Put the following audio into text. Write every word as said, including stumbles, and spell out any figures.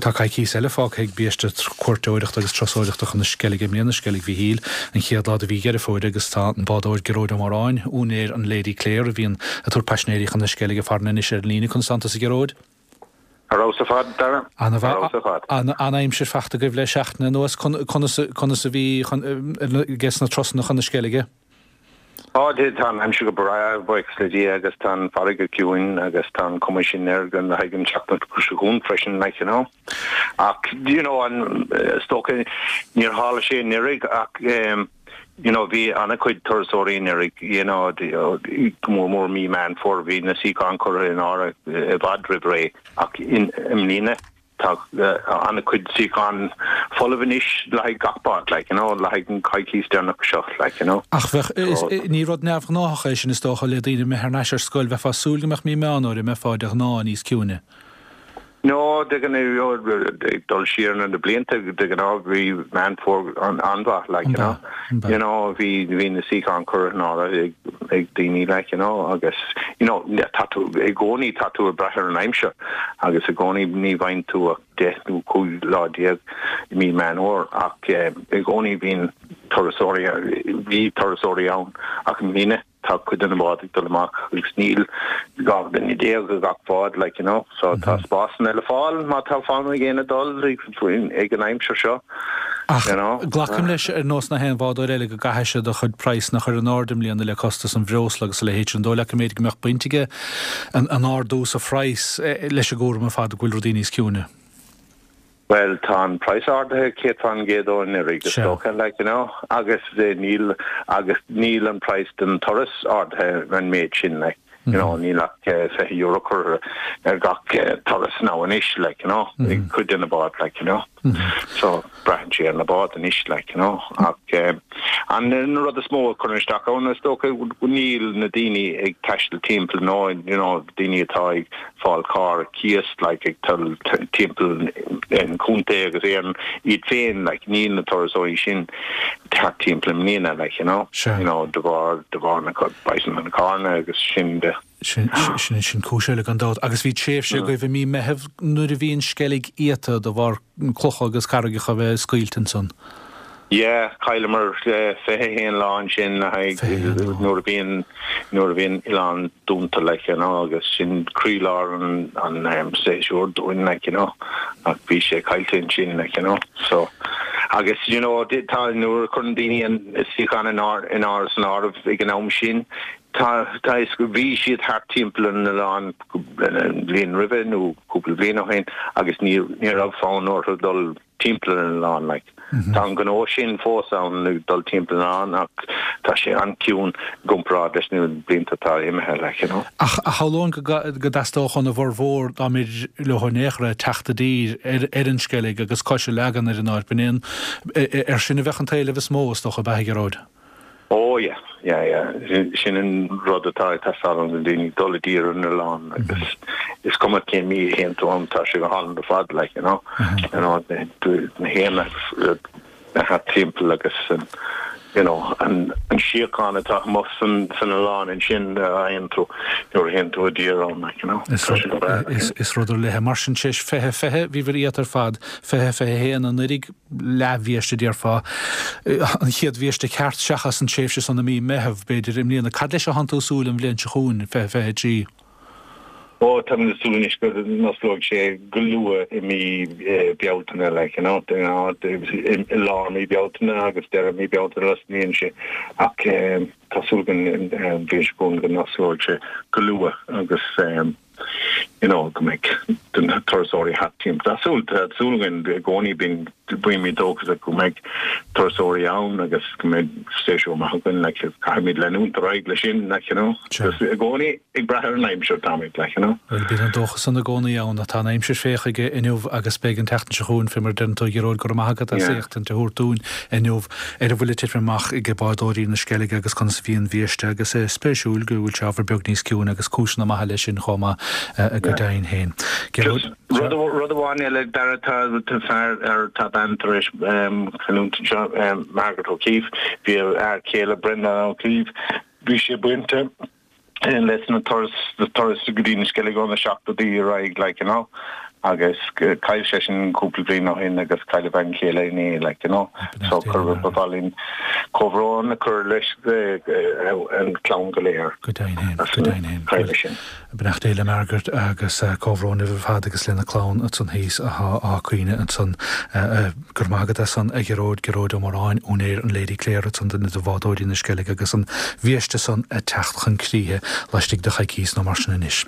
Tá coicís eile fágtha ag biaiste cuairteoireachta agus turasóireachta chun na Sceilge i mbliana, Sceilg Mhichíl, an chéad lá de mhí Dheireadh Fómhair agus tá an bádóir Gearóid Ó Móráin, úinéir an Lady Clare a bhíonn ag tabhairt paisinéirí chun na Sceilge farainn anois ar an líne conas tánn tusa a Ghearóid. Ar fheabhas ar fad Dara An-aimsir fachta agaibh le seachtain anuas conas conas a bhí ages na turasanna chun na Sceilge. Á tá an aimsir go breá buíochas le Dia agus tá an fharraige ciúin agus tá an cuma sin air go haghaidh an tseachtain seo chugainn freisin like you know. Ach you know an is dócha níor tharla sé anuraidh ach um, you know bhí an-chuid turasóirí anuraidh you know go mór mór mí Meán Fómhair bhí na suíocháin curtha in áirithe i bhfad roimh ré ach in i mbliana tá an-chuid suíochán folamh anois le haghaidh gach bád like you know le haghaidh an coicís deireanach seo like you know. Ach bheadh ní rud neamhghnách é sin is dócha le daoine imeacht thar n-ais ar scoil bheifeá ag súil go mbeadh mí Meán Fómhair mbeifeá de ghnáth níos ciúine. No de ag dul siar na blianta de ghnáth bhí Meán Fómhair an an-mhaith like you know. You know bhí bhí na suíocháin curtha in áirithe ag ag daoine like you know agus you know tá tú i gcónaí tá tú ag brath ar an aimsir agus i gcónaí ní bhain tú ach deich nó cúig lá déag i mí Meán Fómhair ach i gcónaí bhíonn turasóirí bhí turasóirí ann ach i mbliana tá cuid de na báid ag dul amach agus níl dhá dhuine déag i gach bád like you know so tá spásanna le fáil má tá fonn ag éinne dul ag an aimsir seo. Ach you know. glacaim leis ar nós na haon bhádóir eile go gcaithfidh sé do chuid praghsanna a chur in airde i mbliana le costas an bhreosla agus a leithéid sin dóigh leat go mb'fhéidir go mbeadh baint aige an an ardú sa phraghas leis an gcúram ar fad go bhfuil rudaí níos ciúine. Well tá an praghas ardaithe céad faoin gcéad ó anuraidh is dócha like you know agus níl agus níl an praghas den turas ardaithe an méid sin like you know níl ach fiche euro curtha ar gach turas now anois like you know ag cuid de na báid like you know so braitheann sé ar na báid anois like you know ach an an rud is mó a chuireann isteach ann is dócha níl na daoine ag taisteal timpeall nó you know daoine atá ag fáil carr cíos like ag dul timpeall an chontae agus éan iad féin like níl na turasóirí sin thart timpeall i mbliana like you know you know de bharr de bharr na praghsanna na carranna agus sin de. Sin sin sin cúis eile gan dabht agus bhí tréimhse agaibh i mí Meitheamh nuair a bhí an Sceilg iata de bharr clocha agus carraigeacha a bheith scaoilte ansan. Yeah, chailleamar fiche haon lá ansin le haghaidh nuair a bhíonn nuair a bhíonn oileán dúnta like you know agus sin croílár an an um, séasúr dúinn like you know ach bhí sé caillte ansin like you know so agus you know tá nuair a chuireann daoine an suíochán in ár in ár san áireamh ag an am sin tá tá is go bhí siad thart timpeall an oileán an bhliain roimhe nó cúpla bliain ó shin agus ní ní raibh fonn orthu dul timpeall an oileán like. Tá an gnó sin fós ann ag dul timpeall an oileán ach tá sé an-chiúin i gcomparáid leis na blianta atá imithe like you know. Ach shamhlóinn go go dteastódh óna bhformhór dá mb'fhéidir leo in aon chor teacht i dtír ar ar an Sceilg agus cois a leagan ar an áit b'in aon ar sin a bheadh an t-éileamh is mó is dócha ab ea a Ghearóid. Oh yeah, yeah, yeah. Sin an rud atá ag teastáil ó na daoine dul i dtír ar an oileán agus is cuma cén mí a théann tú ann tá sé go hálainn ar fad like you know. You know na héin thart timpeall agus an you know an an síocháin atá amuigh san san oileán ansin a fhaigheann tú nuair a théann tú i dtír ann like you know. Is Tá sé go breá. is is rud ar leith mar sin sé fiche fiche bhíobhair iata ar fad fiche fiche haon anuraidh leathbhiaiste déarfá an chéad bhiaiste ceart seachas an tréimhse san i mí Meitheamh b'fhéidir i mbliana cad leis atánn tú ag súil an bhliain seo chugainn fiche fiche trí. Ó tá mé ag súil anois go n-osclóidh sé go luath i mí Bealtaine like you know i lár mí Bealtaine agus deireadh mí Bealtaine osclaíonn sé ach tá súil againn an bhliain seo chugainn go n-osclóidh sé go luath agus you know go mbeidh na turasóirí thart timpeall. Tá súil tá súil againn i gcónaí bíonn bímid dóchasach go mbeidh turasóirí ann agus go mbeidh séasúr maith againn like caithfimid leanúint ar aghaidh leis sin like you know agus i gcónaí ag brath ar an aimsir táimid like you know. Bhuel bíonn an dóchas san i gcónaí ann tá an aimsir féach aige inniu agus beidh an tseachtain seo chugainn fé mar a deireann tú a Ghearóid go raibh maith agat as Yeah. éachtaint a thabhairt dúinn inniu ar a bhfuil ag titim amach ag bádóirí na Sceilge agus conas a bhí an bhiaiste agus é spéisiúil go bhfuil sé ábhar beag níos ciúine agus cúiseanna maithe leis sin chomh maith go Yeah. deimhin féin. Gearóid Just rud rud amháin eile Dara tá tá fear ar tá bean tar éis um, cailliúint anseo um, Margaret O'Keefe bhí a fhear céile Brendan O'Keefe bhí sé bainte leis na turas na turas go dtí na Sceilg ó na seachtóidí ar aghaidh like you know Agus chaill seisean cúpla bliain ó shin agus chaill a bhean chéile inné like you know so cur ba mhaith linn comhbhrón a chur leis an clann go léir. Go deimhin go deimhin sin. Beannacht Dé le Margaret agus comhbhrón libh ar fad agus lena clann ansan thíos á caoineadh ansan go raibh maith agat as san a Ghearóid Gearóid Ó Móráin úinéir an Lady Clare ansan duine de bhádóirí na Sceilge agus an bhiaiste san ag teacht chun críche laistigh de choicís nó mar sin anois.